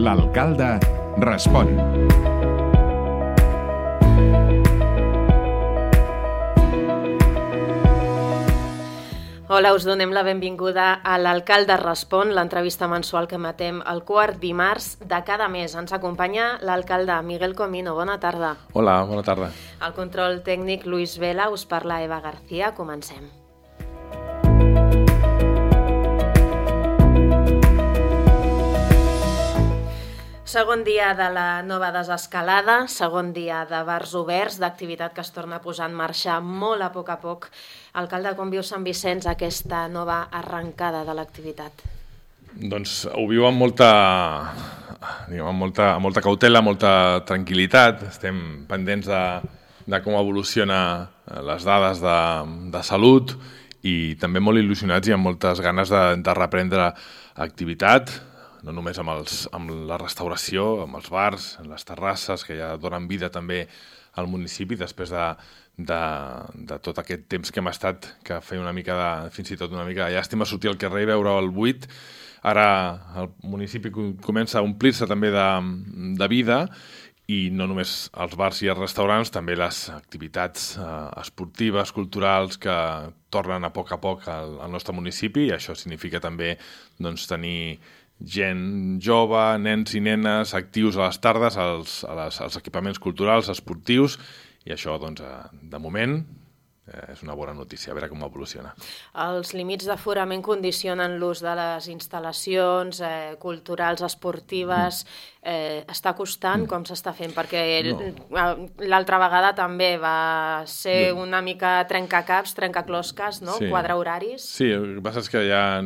L'alcalde respon. Hola, us donem la benvinguda a l'Alcalde Respon, l'entrevista mensual que emetem el quart dimarts de cada mes. Ens acompanya l'alcalde Miguel Comino. Bona tarda. Hola, bona tarda. Al control tècnic Luis Vela, us parla Eva García. Comencem. Segon dia de la nova desescalada, segon dia de bars oberts, d'activitat que es torna a posar en marxa molt a poc. Alcalde, com viu Sant Vicenç aquesta nova arrencada de l'activitat? Doncs ho viu amb molta cautela, molta tranquil·litat. Estem pendents de com evoluciona les dades de salut i també molt il·lusionats i amb moltes ganes de reprendre activitat, no només amb la restauració, amb els bars, amb les terrasses, que ja donen vida també al municipi després de tot aquest temps que hem estat, que feia fins i tot una mica de llàstima sortir al carrer i veure el buit. Ara el municipi comença a omplir-se també de vida i no només els bars i els restaurants, també les activitats esportives, culturals, que tornen a poc al nostre municipi, i això significa també tenir gent jove, nens i nenes actius a les tardes, als equipaments culturals, esportius, i això, de moment, és una bona notícia, a veure com evoluciona. Els límits d'aforament condicionen l'ús de les instal·lacions culturals, esportives. Està costant? Com s'està fent? Perquè l'altra vegada també va ser una mica trencacaps, trencaclosques, no? Sí. Quadre horaris. Sí, el que passa és que ja...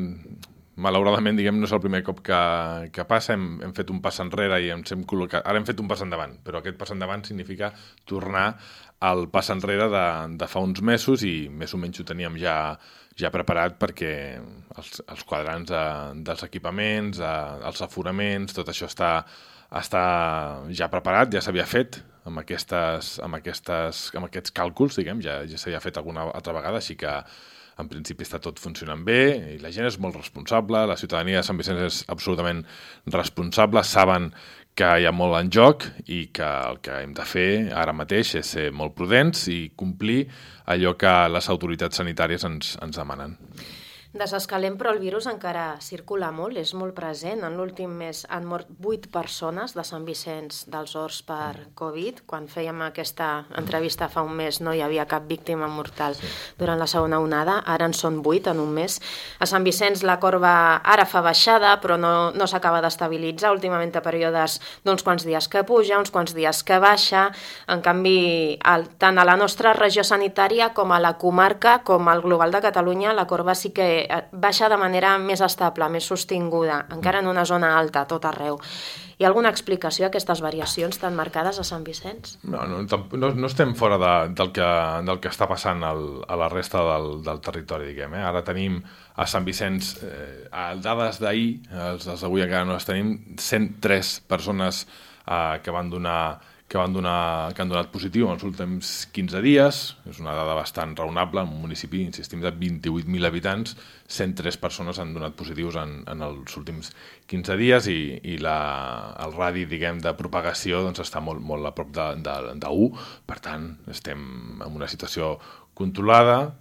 Malauradament, no és el primer cop que passa, hem fet un pas enrere i ens hem col·locat... Ara hem fet un pas endavant, però aquest pas endavant significa tornar al pas enrere de fa uns mesos i més o menys ho teníem ja preparat perquè els quadrants dels equipaments, els aforaments, tot això està ja preparat, ja s'havia fet amb aquests càlculs, ja s'havia fet alguna altra vegada, així que en principi està tot funcionant bé i la gent és molt responsable, la ciutadania de Sant Vicenç és absolutament responsable, saben que hi ha molt en joc i que el que hem de fer ara mateix és ser molt prudents i complir allò que les autoritats sanitàries ens demanen. Desescalem, però el virus encara circula molt, és molt present. En l'últim mes han mort 8 persones de Sant Vicenç dels Horts per Covid. Quan fèiem aquesta entrevista fa un mes no hi havia cap víctima mortal durant la segona onada, ara en són 8 en un mes. A Sant Vicenç la corba ara fa baixada, però no s'acaba d'estabilitzar. Últimament a períodes d'uns quants dies que puja, uns quants dies que baixa. En canvi, tant a la nostra regió sanitària com a la comarca, com al global de Catalunya, la corba sí que baixa de manera més estable, més sostinguda, encara en una zona alta, tot arreu. Hi ha alguna explicació a aquestes variacions tan marcades a Sant Vicenç? No estem fora del que està passant a la resta del territori, Ara tenim a Sant Vicenç, dades d'ahir, els d'avui encara no les tenim, 103 persones que han donat positiu en els últims 15 dies. És una dada bastant raonable. En un municipi, insistim, de 28.000 habitants, 103 persones han donat positius en els últims 15 dies i el radi, de propagació està molt a prop d'1. Per tant, estem en una situació controlada.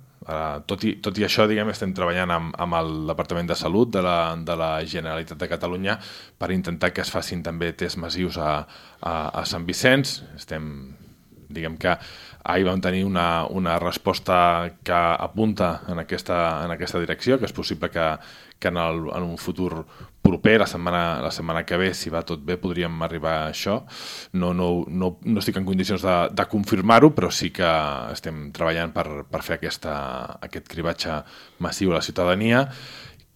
Tot i això, estem treballant amb el Departament de Salut de la Generalitat de Catalunya per intentar que es facin també tests massius a Sant Vicenç. Que ahir vam tenir una resposta que apunta en aquesta direcció, que és possible que en un futur proper, la setmana que ve, si va tot bé, podríem arribar a això. No estic en condicions de confirmar-ho, però sí que estem treballant per fer aquest cribatge massiu a la ciutadania,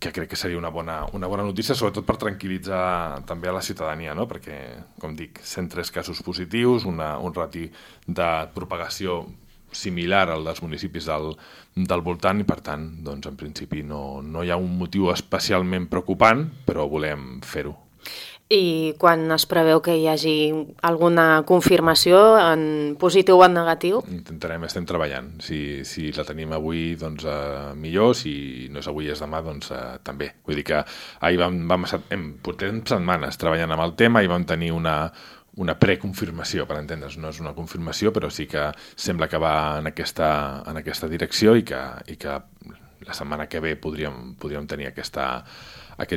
que crec que seria una bona notícia, sobretot per tranquil·litzar també a la ciutadania, no? Perquè, com dic, 103 casos positius, un rati de propagació similar al dels municipis del voltant i, per tant, en principi no hi ha un motiu especialment preocupant, però volem fer-ho. I quan es preveu que hi hagi alguna confirmació en positiu o en negatiu? Estem treballant. Si la tenim avui, doncs millor. Si no és avui, és demà, doncs també. Vull dir que ahir portem setmanes treballant amb el tema i vam tenir una preconfirmació, per entendre's. No és una confirmació, però sí que sembla que va en aquesta direcció i que la setmana que ve podríem tenir aquest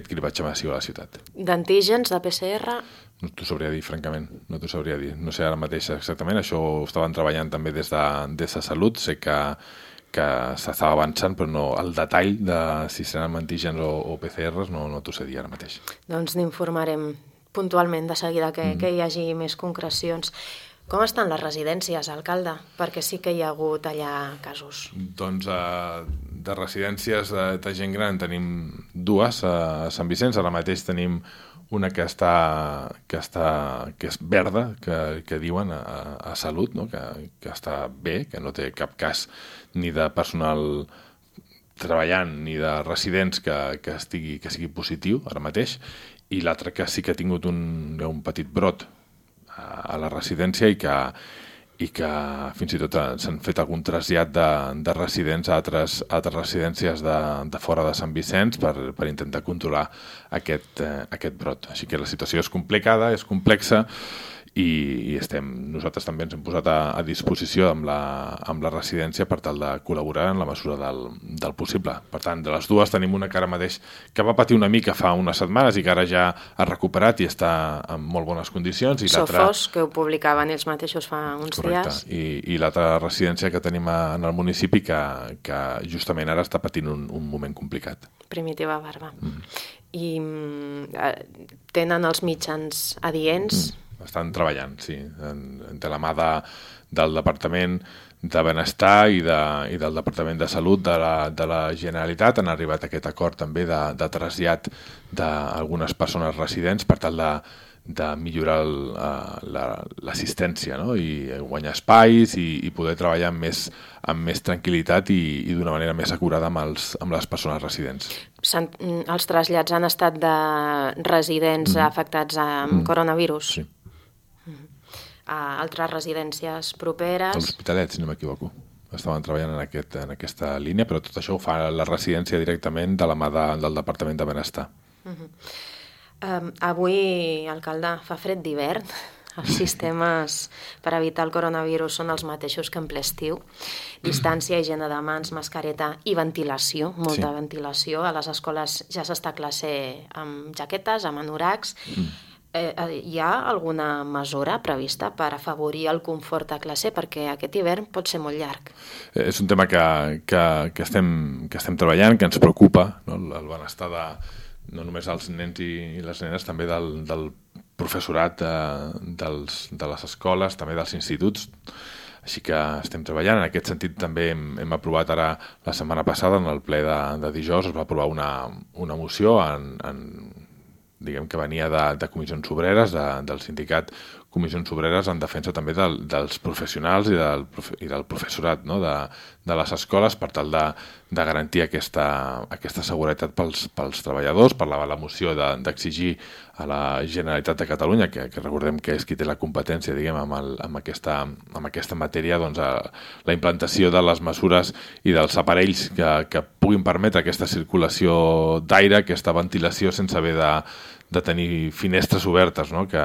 cribatge massiu a la ciutat. D'antígens, de PCR? No t'ho sabria dir, francament. No t'ho sabria dir. No sé ara mateix exactament. Això ho estaven treballant també des de Salut. Sé que s'estava avançant, però no, el detall de si seran antígens o PCRs no t'ho sé dir ara mateix. Doncs n'informarem puntualment de seguida que hi hagi més concrecions. Com estan les residències, alcalde? Perquè sí que hi ha hagut allà casos. Doncs de residències de gent gran tenim dues a Sant Vicenç. Ara mateix tenim una que és verda, que diuen a Salut, no? que està bé, que no té cap cas ni de personal treballant ni de residents que sigui positiu ara mateix, i l'altra que sí que ha tingut un petit brot a la residència i que fins i tot s'han fet algun trasllat de residents a altres residències de fora de Sant Vicenç per intentar controlar aquest brot. Així que la situació és complicada, és complexa, i nosaltres també ens hem posat a disposició amb la residència per tal de col·laborar en la mesura del possible. Per tant, de les dues tenim una que ara mateix que va patir una mica fa unes setmanes i que ara ja ha recuperat i està en molt bones condicions. Sofos, que ho publicaven ells mateixos fa uns dies. I l'altra residència que tenim en el municipi que justament ara està patint un moment complicat. Primitiva Barba. I tenen els mitjans adients? Estan treballant, sí, de la mà del Departament de Benestar i del Departament de Salut de la Generalitat. Han arribat a aquest acord també de trasllat d'algunes persones residents per tal de millorar l'assistència, no? I guanyar espais i poder treballar amb més tranquil·litat i d'una manera més acurada amb les persones residents. Els trasllats han estat de residents afectats amb coronavirus? Sí. A altres residències properes? A l'Hospitalet, si no m'equivoco. Estaven treballant en aquesta línia, però tot això ho fa la residència directament de la mà del Departament de Benestar. Avui, alcalde, fa fred d'hivern. Els sistemes per evitar el coronavirus són els mateixos que en ple estiu. Distància, higiene de mans, mascareta i ventilació, molta ventilació. A les escoles ja s'està a classe amb jaquetes, amb anoracs. Hi ha alguna mesura prevista per afavorir el confort a classe? Perquè aquest hivern pot ser molt llarg. És un tema que estem treballant, que ens preocupa, no? El benestar no només dels nens i les nenes, també del professorat de les escoles, també dels instituts. Així que estem treballant. En aquest sentit també hem aprovat ara, la setmana passada, en el ple de dijous, es va aprovar una moció diguem que venia de comissions obreres, del sindicat Comissions Obreres, en defensa també dels professionals i del professorat, no? de les escoles, per tal de garantir aquesta seguretat pels treballadors, per la moció d'exigir a la Generalitat de Catalunya, que recordem que és qui té la competència, diguem, amb aquesta matèria, doncs, la implantació de les mesures i dels aparells que puguin permetre aquesta circulació d'aire, aquesta ventilació sense haver de tenir finestres obertes, no? Que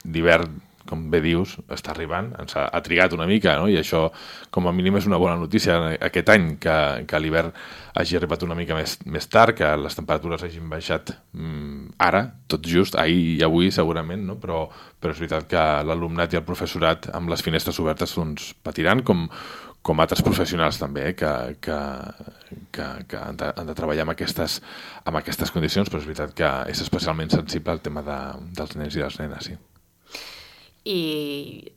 l'hivern, com bé dius, està arribant, ha trigat una mica, no? I això com a mínim és una bona notícia aquest any, que l'hivern hagi arribat una mica més tard, que les temperatures hagin baixat ara, tot just, ahir i avui segurament, no? Però és veritat que l'alumnat i el professorat amb les finestres obertes doncs, patiran, com altres professionals també, que han de treballar amb aquestes condicions, però és veritat que és especialment sensible al tema dels nens i les nenes, sí. I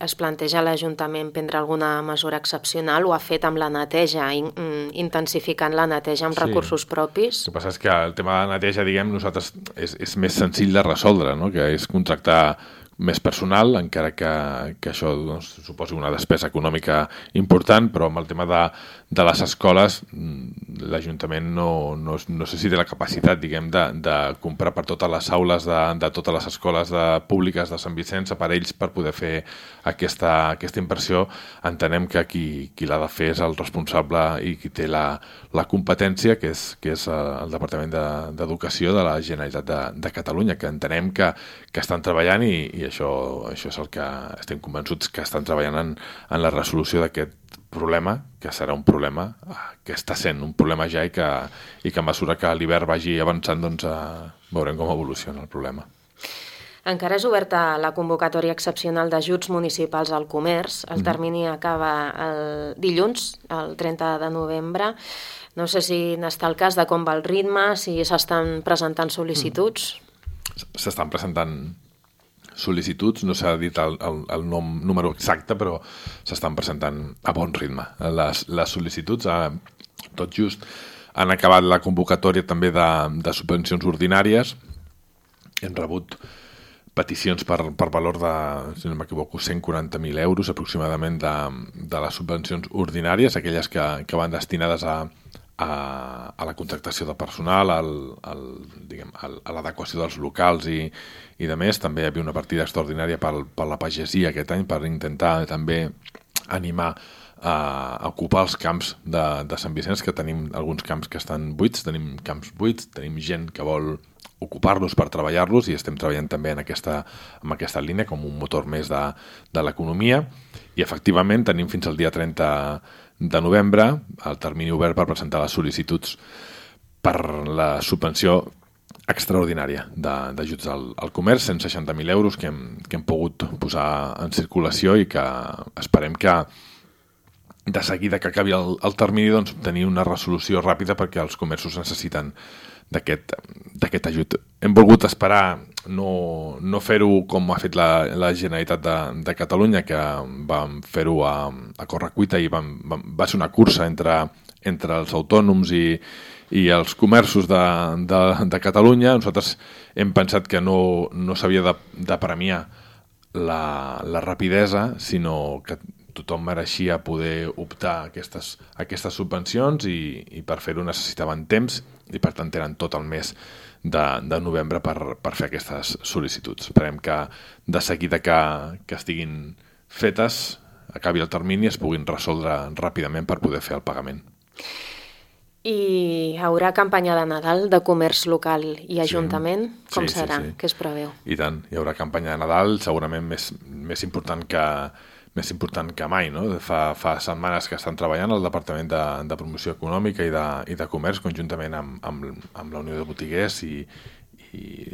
es planteja l'Ajuntament prendre alguna mesura excepcional? Ho ha fet amb la neteja, intensificant la neteja amb recursos propis? El que passa és que el tema de la neteja, diguem, nosaltres és més senzill de resoldre, no? Que és contractar més personal, encara que això suposi una despesa econòmica important, però amb el tema de les escoles l'Ajuntament no sé si té la capacitat, diguem, de comprar per totes les aules de totes les escoles públiques de Sant Vicenç aparells per poder fer aquesta inversió. Entenem que qui l'ha de fer és el responsable i qui té la competència, que és el Departament d'Educació de la Generalitat de Catalunya, que entenem que estan treballant i això és el que estem convençuts que estan treballant en la resolució d'aquest problema, que serà un problema que està sent un problema ja i que a mesura que l'hivern vagi avançant doncs veurem com evoluciona el problema. Encara és oberta la convocatòria excepcional d'ajuts municipals al comerç. El termini acaba el dilluns, el 30 de novembre. No sé si n'està el cas de com va el ritme, si s'estan presentant sol·licituds. S'estan presentant sol·licituds, no s'ha dit el número exacte, però s'estan presentant a bon ritme. Les sol·licituds, tot just, han acabat la convocatòria també de subvencions ordinàries. Hem rebut peticions per valor de, si no m'equivoco, 140.000 euros aproximadament de les subvencions ordinàries, aquelles que van destinades a la contractació de personal, a l'adequació dels locals i de més. També hi havia una partida extraordinària per la pagesia aquest any per intentar també animar a ocupar els camps de Sant Vicenç, que tenim alguns camps que estan buits, tenim camps buits, tenim gent que vol ocupar-los per treballar-los i estem treballant també en aquesta línia com un motor més de l'economia. I efectivament tenim fins al dia 30 de novembre el termini obert per presentar les sol·licituds per la subvenció extraordinària d'ajuts al comerç, 160.000 euros que hem pogut posar en circulació i que esperem que de seguida que acabi el termini doncs, tenir una resolució ràpida perquè els comerços necessiten d'aquest ajut. Hem volgut esperar, no fer-ho com ha fet la Generalitat de Catalunya, que vam fer-ho a correcuita i va ser una cursa entre els autònoms i els comerços de Catalunya. Nosaltres hem pensat que no s'havia de premiar la rapidesa, sinó que tothom mereixia poder optar a aquestes subvencions i per fer-ho necessitaven temps i per tant tenen tot el mes de novembre per fer aquestes sol·licituds. Esperem que de seguida que estiguin fetes, acabi el termini i es puguin resoldre ràpidament per poder fer el pagament. I hi haurà campanya de Nadal de comerç local i ajuntament? Com serà? Què es preveu? I tant, hi haurà campanya de Nadal, segurament més important que mai, no? Fa setmanes que estan treballant el Departament de Promoció Econòmica i de Comerç conjuntament amb la Unió de Botiguers i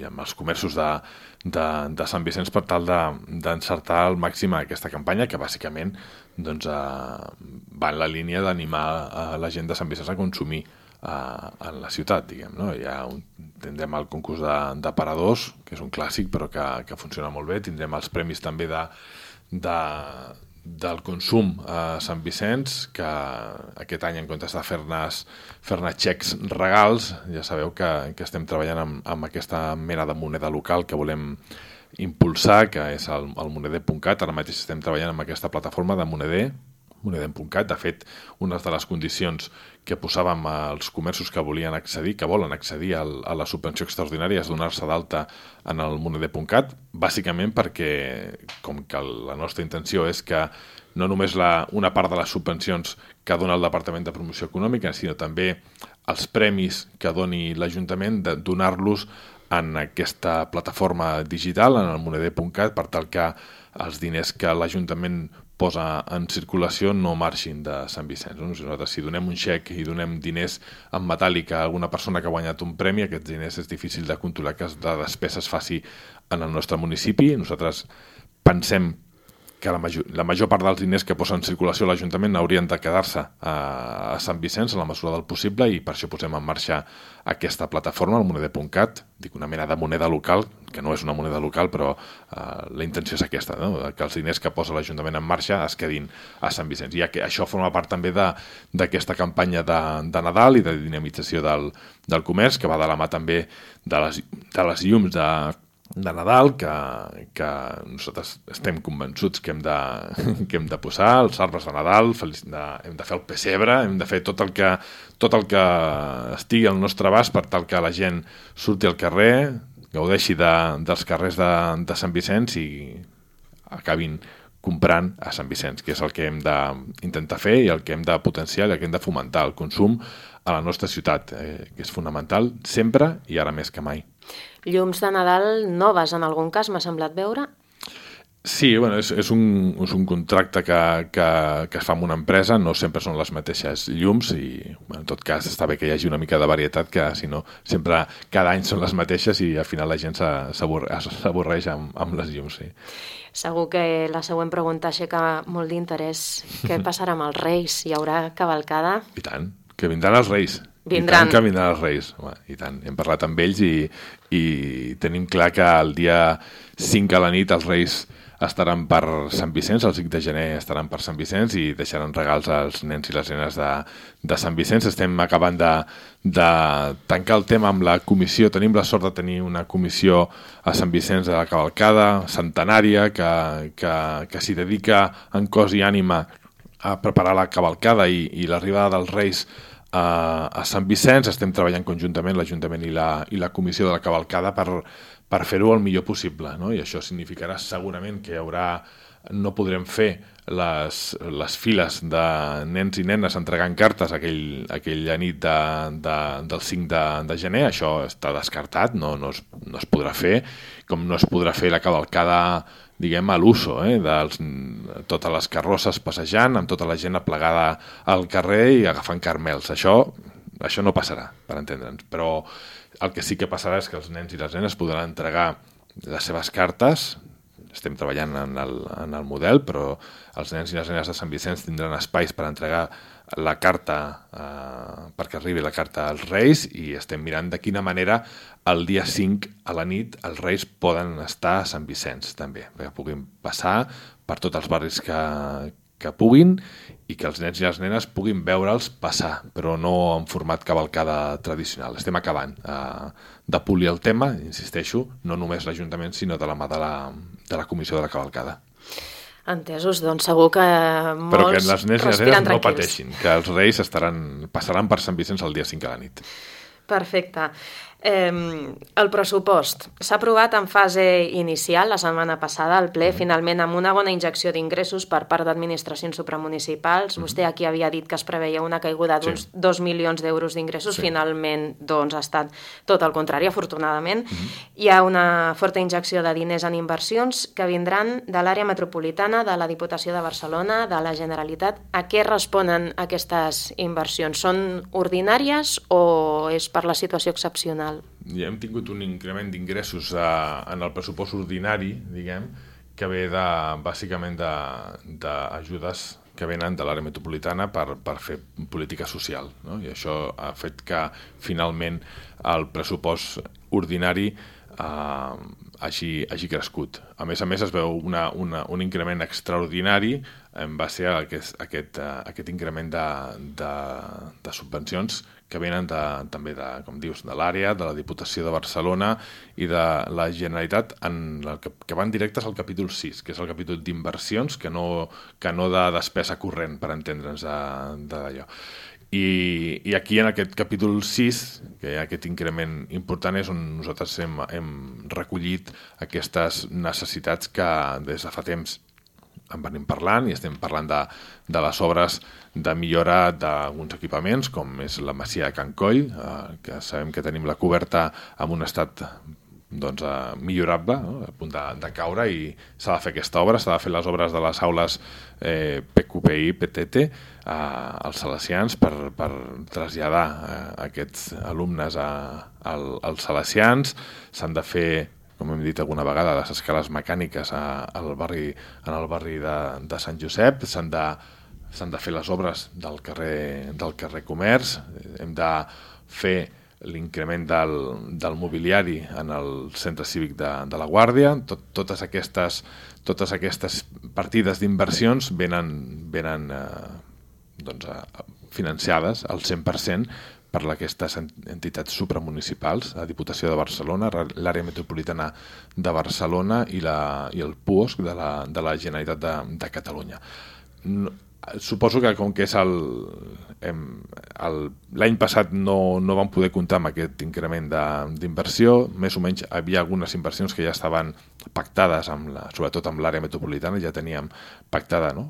amb els comerços de Sant Vicenç per tal d'encertar al màxim aquesta campanya que bàsicament doncs, va en la línia d'animar la gent de Sant Vicenç a consumir en la ciutat, diguem, no? Tindrem el concurs d'aparadors, que és un clàssic però que funciona molt bé, tindrem els premis també del consum a Sant Vicenç, que aquest any en comptes de fer-ne xecs regals, ja sabeu que estem treballant amb aquesta mena de moneda local que volem impulsar, que és el moneder.cat. Ara mateix estem treballant amb aquesta plataforma de moneder.cat. De fet, una de les condicions que posàvem als comerços que volen accedir a la subvenció extraordinària és donar-se d'alta en el moneder.cat, bàsicament perquè, com que la nostra intenció és que no només una part de les subvencions que dona el Departament de Promoció Econòmica, sinó també els premis que doni l'Ajuntament, de donar-los en aquesta plataforma digital, en el moneder.cat, per tal que els diners que l'Ajuntament posa en circulació no marxin de Sant Vicenç. Nosaltres, si donem un xec i donem diners en metàl·lic a alguna persona que ha guanyat un premi, aquests diners és difícil de controlar que la despesa es faci en el nostre municipi. Nosaltres pensem que la major part dels diners que posa en circulació l'Ajuntament haurien de quedar-se a Sant Vicenç en la mesura del possible i per això posem en marxa aquesta plataforma, el moneder.cat, dic una mena de moneda local, que no és una moneda local, però la intenció és aquesta, no? Que els diners que posa l'Ajuntament en marxa es quedin a Sant Vicenç. I això forma part també d'aquesta campanya de Nadal i de dinamització del comerç, que va de la mà també de les llums Nadal que nosaltres estem convençuts que hem de posar els arbres de Nadal, hem de fer el pessebre, hem de fer tot el que estigui al nostre abast per tal que la gent surti al carrer, gaudeixi dels carrers de Sant Vicenç i acabin comprant a Sant Vicenç, que és el que hem d'intentar fer i el que hem de potenciar i el que hem de fomentar, el consum a la nostra ciutat, que és fonamental sempre i ara més que mai. Llums de Nadal noves, en algun cas, m'ha semblat veure? Sí, bueno, és un contracte que es fa amb una empresa, no sempre són les mateixes llums i en tot cas està bé que hi hagi una mica de varietat, que si no sempre cada any són les mateixes i al final la gent s'avorreix amb les llums. Sí. Segur que la següent pregunta aixeca molt d'interès. Què passarà amb els Reis? Hi haurà cavalcada? I tant, que vindran els Reis. Vindran. I tant que vindran els Reis. Home, i tant, hem parlat amb ells i tenim clar que el dia 5 a la nit els Reis estaran per Sant Vicenç, el 5 de gener estaran per Sant Vicenç i deixaran regals als nens i les nenes de Sant Vicenç. Estem acabant de tancar el tema amb la comissió. Tenim la sort de tenir una comissió a Sant Vicenç de la cavalcada centenària que s'hi dedica en cos i ànima a preparar la cavalcada i l'arribada dels Reis a Sant Vicenç. Estem treballant conjuntament l'Ajuntament i la comissió de la cavalcada per fer-ho el millor possible, no? I això significarà segurament que no podrem fer les files de nens i nenes entregant cartes aquella nit del 5 de gener. Això està descartat, no es podrà fer, com no es podrà fer la cavalcada, diguem, a l'uso, totes les carrosses passejant, amb tota la gent aplegada al carrer i agafant carmels. Això no passarà, per entendre'ns, però el que sí que passarà és que els nens i les nenes podran entregar les seves cartes. Estem treballant en el model, però els nens i les nenes de Sant Vicenç tindran espais per entregar la carta, perquè arribi la carta als Reis, i estem mirant de quina manera el dia 5 a la nit els Reis poden estar a Sant Vicenç també, perquè puguin passar per tots els barris que puguin i que els nens i les nenes puguin veure'ls passar, però no en format cavalcada tradicional. Estem acabant de polir el tema, insisteixo, no només l'Ajuntament, sinó de la mà de la comissió de la cavalcada. Entesos, doncs segur que molts però que les nens i les nenes no tranquils. pateixin, que els Reis passaran per Sant Vicenç el dia 5 a la nit. Perfecte. El pressupost s'ha aprovat en fase inicial la setmana passada al ple, finalment amb una bona injecció d'ingressos per part d'administracions supramunicipals. Vostè aquí havia dit que es preveia una caiguda d'uns 2 milions d'euros d'ingressos, finalment doncs ha estat tot el contrari, afortunadament. Hi ha una forta injecció de diners en inversions que vindran de l'àrea metropolitana, de la Diputació de Barcelona, de la Generalitat. A què responen aquestes inversions? Són ordinàries o és per la situació excepcional? Ja hem tingut un increment d'ingressos en el pressupost ordinari, diguem, que ve bàsicament d'ajudes que venen de l'àrea metropolitana per fer política social, no? I això ha fet que finalment el pressupost ordinari hagi crescut. A més es veu un increment extraordinari en base a aquest increment de subvencions que venen també com dius, de l'àrea, de la Diputació de Barcelona i de la Generalitat, que van directes al capítol 6, que és el capítol d'inversions, que no de despesa corrent, per entendre'ns d'allò. I aquí en aquest capítol 6, que hi ha aquest increment important, és on nosaltres hem recollit aquestes necessitats que des de fa temps en venim parlant, i estem parlant de les obres de millora d'alguns equipaments, com és la Masia de Can Coll, que sabem que tenim la coberta en un estat millorable, no? A punt de caure, i s'ha de fer aquesta obra, s'ha de fer les obres de les aules PQPI, PTT, als salesians per traslladar aquests alumnes als salesians. S'han de fer, com hem dit alguna vegada, les escales mecàniques en el barri de Sant Josep. S'han de fer les obres del carrer Comerç. Hem de fer l'increment del mobiliari en el centre cívic de la Guàrdia. Totes aquestes partides d'inversions venen financiades al 100% per aquestes entitats supramunicipals, la Diputació de Barcelona, l'àrea metropolitana de Barcelona i el PUOSC de la Generalitat de Catalunya. Suposo que com que és l'any passat no vam poder comptar amb aquest increment d'inversió, més o menys havia algunes inversions que ja estaven pactades, sobretot amb l'àrea metropolitana, ja teníem pactada, no?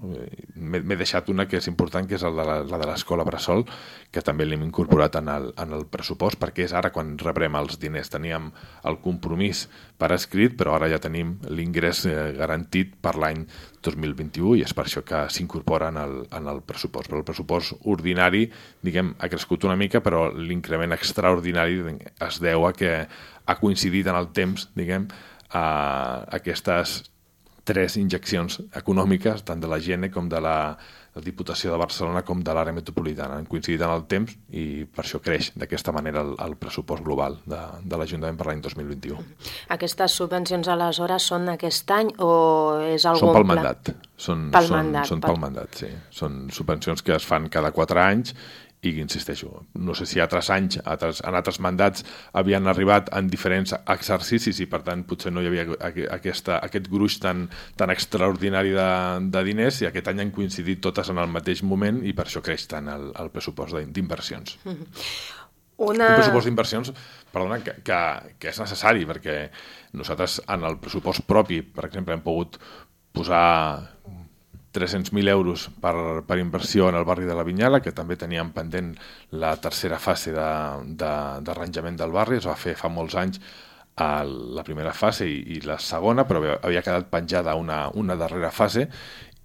M'he deixat una que és important, que és la de l'escola Bressol, que també l'hem incorporat en el pressupost, perquè és ara quan rebrem els diners. Teníem el compromís per escrit, però ara ja tenim l'ingrés garantit per l'any 2021 i és per això que s'incorpora en el pressupost. Però el pressupost ordinari, diguem, ha crescut una mica, però l'increment extraordinari es deu a que ha coincidit en el temps, diguem, aquestes 3 injeccions econòmiques, tant de la GENE com de la Diputació de Barcelona com de l'àrea metropolitana. Han coincidit en el temps i per això creix d'aquesta manera el pressupost global de l'Ajuntament per l'any 2021. Aquestes subvencions aleshores són aquest any o és algun Són pel pla? mandat. Són pel mandat, sí. Són subvencions que es fan cada 4 anys i, insisteixo, no sé si altres anys, en altres mandats havien arribat en diferents exercicis i, per tant, potser no hi havia aquest gruix tan extraordinari de diners i aquest any han coincidit totes en el mateix moment i per això creix tant el pressupost d'inversions. Un pressupost d'inversions, perdona, que és necessari, perquè nosaltres en el pressupost propi, per exemple, hem pogut posar 300.000 euros per inversió en el barri de la Vinyala, que també teníem pendent la tercera fase d'arranjament del barri. Es va fer fa molts anys la primera fase i la segona, però havia quedat penjada una darrera fase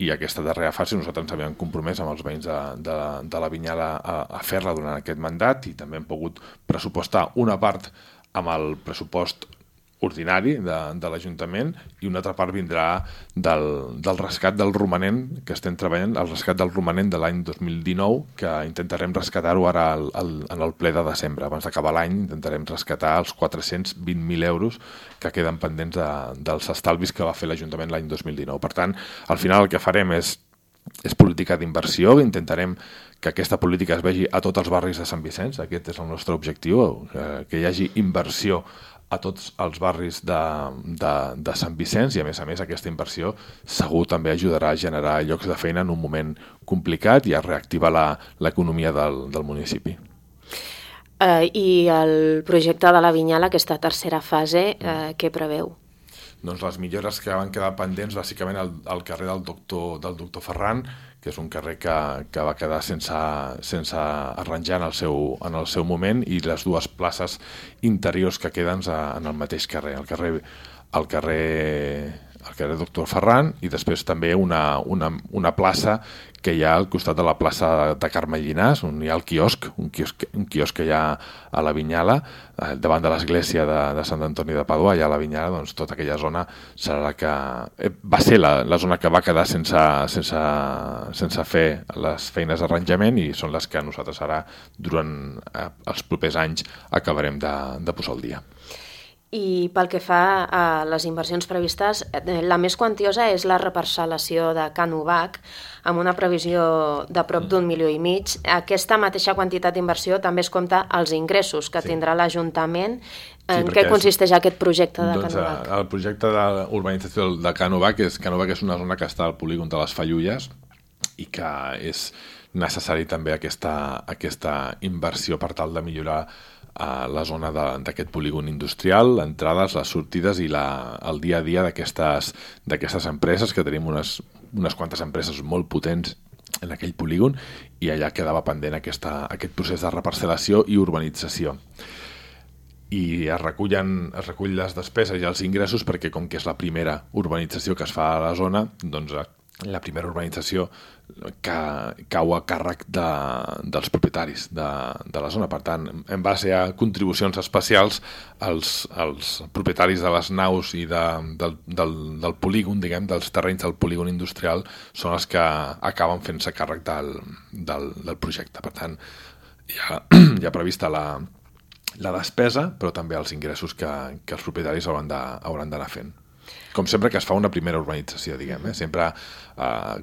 i aquesta darrera fase nosaltres ens havíem compromès amb els veïns de la Vinyala a fer-la durant aquest mandat i també hem pogut pressupostar una part amb el pressupost ordinari de l'Ajuntament i una altra part vindrà del rescat del romanent que estem treballant, el rescat del romanent de l'any 2019, que intentarem rescatar-ho ara en el ple de desembre. Abans d'acabar l'any intentarem rescatar els 420.000 euros que queden pendents dels estalvis que va fer l'Ajuntament l'any 2019. Per tant, al final el que farem és política d'inversió, intentarem que aquesta política es vegi a tots els barris de Sant Vicenç, aquest és el nostre objectiu, que hi hagi inversió a tots els barris de Sant Vicenç i a més aquesta inversió segur també ajudarà a generar llocs de feina en un moment complicat i a reactivar l'economia del municipi. I el projecte de la Vinyala, aquesta tercera fase, què preveu? Doncs les millores que van quedar pendents bàsicament al carrer del doctor Ferran, que és un carrer que va quedar sense arranjar en el seu moment, i les 2 places interiors que queden en el mateix carrer, el carrer Doctor Ferran i després també una plaça que hi ha al costat de la plaça de Carme Llinàs, on hi ha el quiosc, un quiosc que hi ha a la Vinyala, davant de l'església de Sant Antoni de Padua, allà a la Vinyala, doncs tota aquella zona serà la que va ser la zona que va quedar sense fer les feines d'arranjament i són les que nosaltres ara, durant els propers anys, acabarem de posar al dia. I pel que fa a les inversions previstes, la més quantiosa és la reparcel·lació de Can Ubac, amb una previsió de prop d'1,5 milions. Aquesta mateixa quantitat d'inversió també es compta als ingressos que tindrà l'Ajuntament. En què consisteix aquest projecte de Can Ubac? El projecte d'urbanització de Can Ubac és una zona que està al polígon de les Fallulles i que és necessari també aquesta inversió per tal de millorar la zona d'aquest polígon industrial, les entrades, les sortides i el dia a dia d'aquestes empreses, que tenim unes quantes empreses molt potents en aquell polígon, i allà quedava pendent aquest procés de reparcel·lació i urbanització. I es recull les despeses i els ingressos perquè com que és la primera urbanització que es fa a la zona, doncs la primera urbanització cau a càrrec dels propietaris de la zona. Per tant, en base a contribucions especials, els propietaris de les naus i del polígon, diguem, dels terrenys del polígon industrial, són els que acaben fent-se càrrec del projecte. Per tant, hi ha prevista la despesa, però també els ingressos que els propietaris hauran d'anar fent. Com sempre que es fa una primera urbanització, diguem, sempre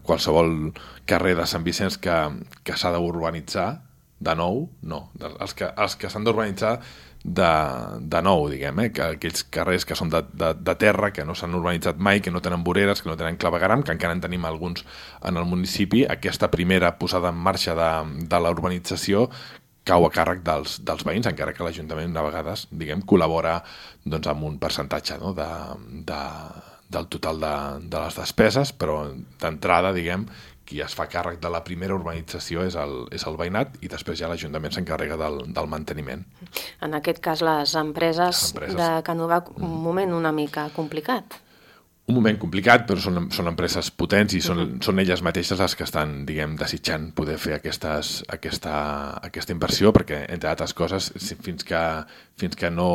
qualsevol carrer de Sant Vicenç que s'ha d'urbanitzar, de nou, no. Els que s'han d'urbanitzar de nou, diguem, que aquells carrers que són de terra, que no s'han urbanitzat mai, que no tenen voreres, que no tenen clavegaram, que encara en tenim alguns en el municipi, aquesta primera posada en marxa de la urbanització cau a càrrec dels veïns, encara que l'Ajuntament de vegades, diguem, col·labora doncs, amb un percentatge, no?, del total de les despeses, però d'entrada, diguem, qui es fa càrrec de la primera urbanització és el veïnat i després ja l'Ajuntament s'encarrega del manteniment. En aquest cas, les empreses de Can Ubac, un moment una mica complicat. Un moment complicat, però són empreses potents i són elles mateixes les que estan, diguem, desitjant poder fer aquesta inversió, perquè, entre altres coses, fins que no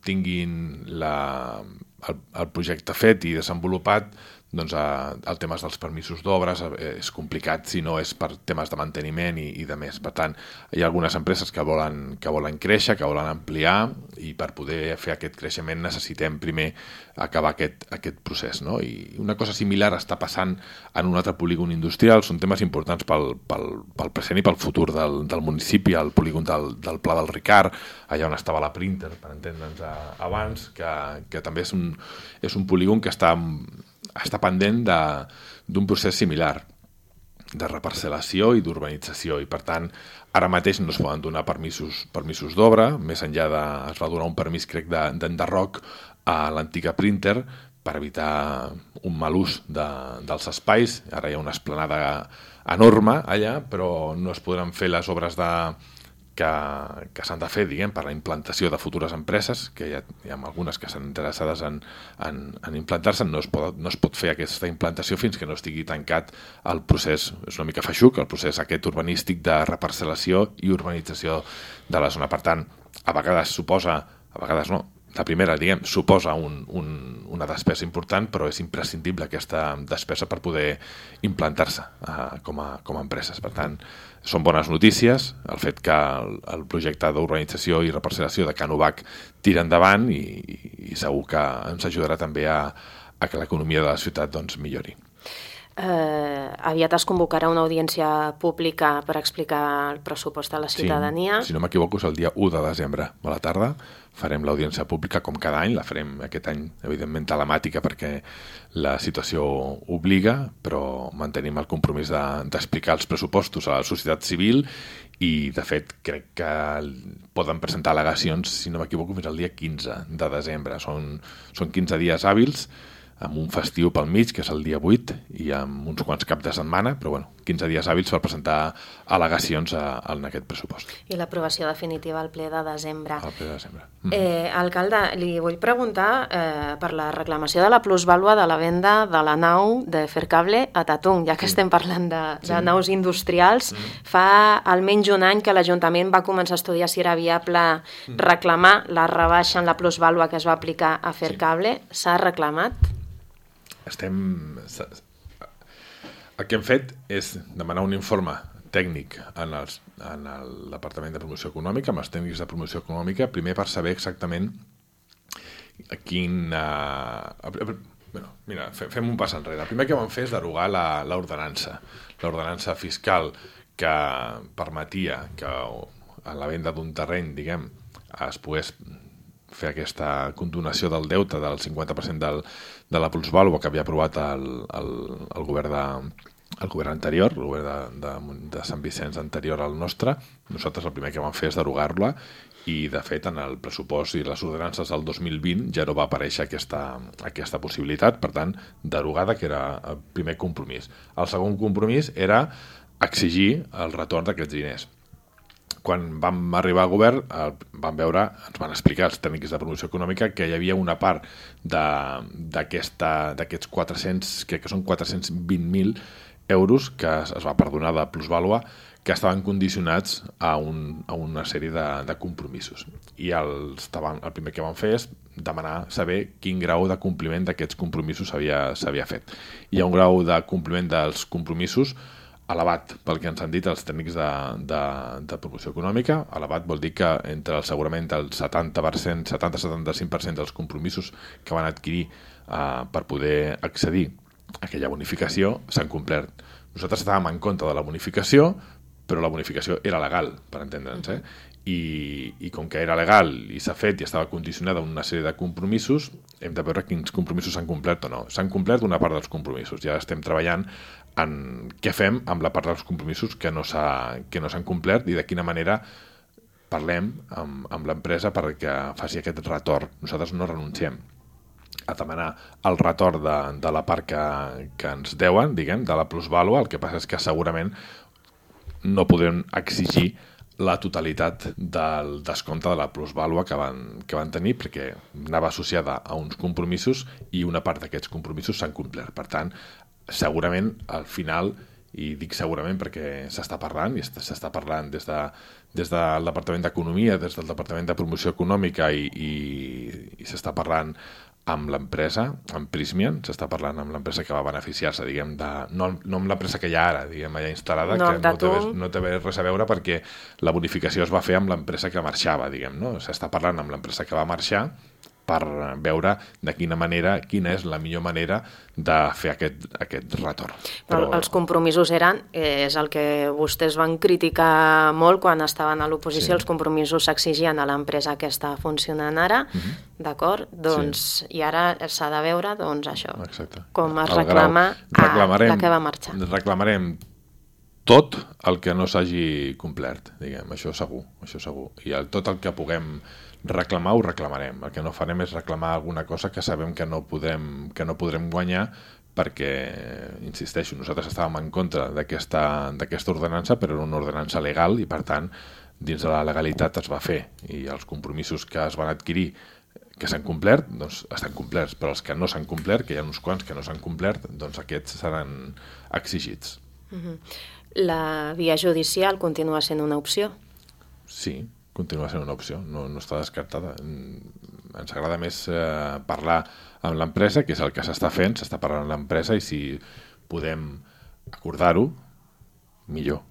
tinguin el projecte fet i desenvolupat, doncs el tema dels permisos d'obres és complicat si no és per temes de manteniment i de més. Per tant, hi ha algunes empreses que volen créixer, que volen ampliar, i per poder fer aquest creixement necessitem primer acabar aquest procés, no? I una cosa similar està passant en un altre polígon industrial. Són temes importants pel present i pel futur del municipi, el polígon del Pla del Ricard, allà on estava la Printer, per entendre'ns abans, que també és un polígon que està pendent d'un procés similar de reparcel·lació i d'urbanització, i per tant ara mateix no es poden donar permisos d'obra. Més enllà es va donar un permís, crec, d'enderroc a l'antiga Printer per evitar un mal ús dels espais. Ara hi ha una esplanada enorme allà, però no es podran fer les obres que s'han de fer, diguem, per la implantació de futures empreses, que hi ha algunes que estan interessades en implantar-se. No es pot fer aquesta implantació fins que no estigui tancat el procés, és una mica feixuc, el procés aquest urbanístic de reparcel·lació i urbanització de la zona. Per tant, a vegades no, la primera, diguem, suposa una despesa important, però és imprescindible aquesta despesa per poder implantar-se com a empreses. Per tant, són bones notícies el fet que el projecte d'urbanització i reparcel·lació de Can Ubac tira endavant i segur que ens ajudarà també a que l'economia de la ciutat doncs, millori. Aviat es convocarà una audiència pública per explicar el pressupost a la ciutadania. Sí, si no m'equivoco és el dia 1 de desembre a la tarda. Farem l'audiència pública com cada any, la farem aquest any evidentment telemàtica perquè la situació obliga, però mantenim el compromís d'explicar els pressupostos a la societat civil i de fet crec que poden presentar al·legacions, si no m'equivoco, fins al dia 15 de desembre. Són 15 dies hàbils, amb un festiu pel mig, que és el dia 8, i amb uns quants caps de setmana, però 15 dies hàbils per presentar al·legacions en aquest pressupost. I l'aprovació definitiva al ple de desembre. Al ple de desembre. Alcalde, li vull preguntar per la reclamació de la plusvàlua de la venda de la nau de Fercable a Tatung, ja que estem parlant de naus industrials. Fa almenys un any que l'Ajuntament va començar a estudiar si era viable reclamar la rebaixa en la plusvàlua que es va aplicar a Fercable. S'ha reclamat? El que hem fet és demanar un informe tècnic en el Departament de Promoció Econòmica, amb els tècnics de promoció econòmica, primer per saber exactament Mira, fem un pas enrere. El primer que vam fer és derogar l'ordenança fiscal que permetia que a la venda d'un terreny, diguem, es pogués fer aquesta condonació del deute del 50% de la plusvàlua que havia aprovat el govern anterior, el govern de Sant Vicenç anterior al nostre. Nosaltres el primer que vam fer és derogar-la i, de fet, en el pressupost i les ordenances del 2020 ja no va aparèixer aquesta possibilitat, per tant, derogada, que era el primer compromís. El segon compromís era exigir el retorn d'aquests diners. Quan vam arribar al govern vam veure, ens van explicar els tècnics de promoció econòmica que hi havia una part d'aquests 400, crec que són 420.000 euros que es va perdonar de plusvàlua, que estaven condicionats a una sèrie de compromisos. I el primer que vam fer és demanar saber quin grau de compliment d'aquests compromisos s'havia fet. Hi ha un grau de compliment dels compromisos elevat, pel que ens han dit els tècnics de promoció econòmica. Elevat vol dir que segurament el 70-75% dels compromisos que van adquirir per poder accedir a aquella bonificació s'han complert. Nosaltres estàvem en contra de la bonificació, però la bonificació era legal, per entendre'ns, I com que era legal i s'ha fet i estava condicionada a una sèrie de compromisos, hem de veure quins compromisos s'han complert o no. S'han complert una part dels compromisos, ja estem treballant en què fem amb la part dels compromisos que no s'han complert i de quina manera parlem amb l'empresa perquè faci aquest retorn. Nosaltres no renunciem a demanar el retorn de la part que ens deuen, diguem, de la plusvàlua. El que passa és que segurament no podem exigir la totalitat del descompte de la plusvàlua que van tenir perquè anava associada a uns compromisos i una part d'aquests compromisos s'han complert. Per tant, segurament al final, i dic segurament perquè s'està parlant i s'està parlant des del Departament d'Economia, des del Departament de Promoció Econòmica i s'està parlant amb l'empresa, amb Prysmian, s'està parlant amb l'empresa que va beneficiar-se, diguem, no amb l'empresa que hi ha ara, diguem, allà instal·lada, que no té res a veure perquè la bonificació es va fer amb l'empresa que marxava, diguem, no? S'està parlant amb l'empresa que va marxar per veure de quina és la millor manera de fer aquest retorn. Però els compromisos és el que vostès van criticar molt quan estaven a l'oposició, els compromisos s'exigien a l'empresa que està funcionant ara, d'acord? Doncs, i ara s'ha de veure, doncs, això, com es reclama la que va marxar. Reclamarem tot el que no s'hagi complert, diguem, això segur. I tot el que puguem reclamar ho reclamarem. El que no farem és reclamar alguna cosa que sabem que no podrem guanyar perquè, insisteixo, nosaltres estàvem en contra d'aquesta ordenança, però era una ordenança legal i, per tant, dins de la legalitat es va fer i els compromisos que es van adquirir que s'han complert, doncs estan complerts, però els que no s'han complert, que hi ha uns quants que no s'han complert, doncs aquests seran exigits. La via judicial continua sent una opció? Sí, continua sent una opció, no està descartada. Ens agrada més parlar amb l'empresa, que és el que s'està fent, s'està parlant amb l'empresa i si podem acordar-ho, millor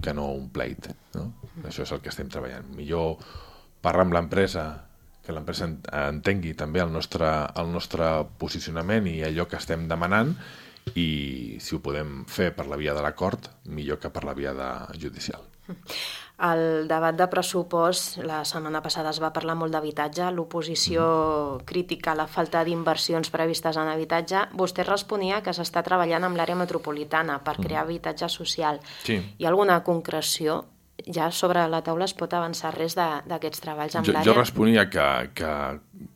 que no un pleit, no? Això és el que estem treballant. Millor parlar amb l'empresa, que l'empresa entengui també el nostre posicionament i allò que estem demanant i si ho podem fer per la via de l'acord, millor que per la via judicial. Al debat de pressupost, la setmana passada es va parlar molt d'habitatge, l'oposició crítica la falta d'inversions previstes en habitatge. Vostè responia que s'està treballant amb l'àrea metropolitana per crear habitatge social. Sí. Hi ha alguna concreció? Ja sobre la taula es pot avançar res d'aquests treballs amb l'àrea? Jo responia que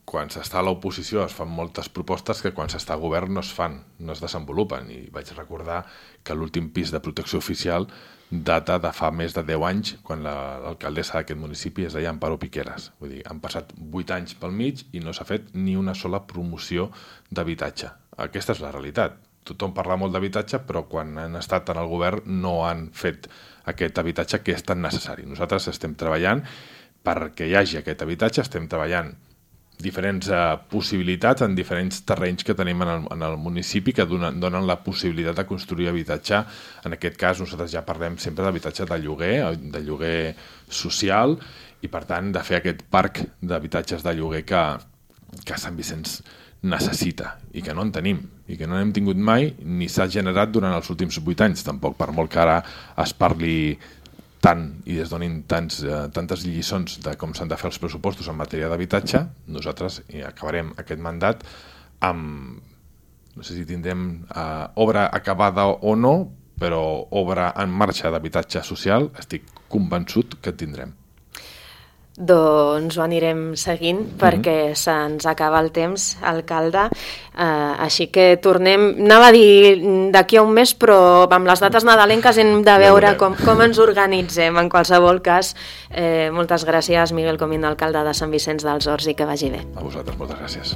quan s'està a l'oposició es fan moltes propostes que quan s'està al govern no es fan, no es desenvolupen. I vaig recordar que l'últim pis de protecció oficial data de fa més de 10 anys, quan l'alcaldessa d'aquest municipi es deia Amparo Piqueras. Vull dir, han passat 8 anys pel mig i no s'ha fet ni una sola promoció d'habitatge. Aquesta és la realitat. Tothom parla molt d'habitatge, però quan han estat en el govern no han fet aquest habitatge que és tan necessari. Nosaltres estem treballant perquè hi hagi aquest habitatge, estem treballant diferents possibilitats en diferents terrenys que tenim en el municipi que donen la possibilitat de construir habitatge. En aquest cas nosaltres ja parlem sempre d'habitatge de lloguer social i per tant de fer aquest parc d'habitatges de lloguer que Sant Vicenç necessita i que no en tenim i que no n'hem tingut mai ni s'ha generat durant els últims 8 anys tampoc, per molt que ara es parli tant i es donin tantes lliçons de com s'han de fer els pressupostos en matèria d'habitatge. Nosaltres acabarem aquest mandat amb, no sé si tindrem obra acabada o no, però obra en marxa d'habitatge social estic convençut que tindrem. Doncs ho anirem seguint perquè se'ns acaba el temps, alcalde. Així que tornem, anava a dir d'aquí a un mes, però amb les dates nadalenques hem de veure com ens organitzem. En qualsevol cas, moltes gràcies, Miguel Comín, alcalde de Sant Vicenç dels Horts, i que vagi bé. A vosaltres, moltes gràcies.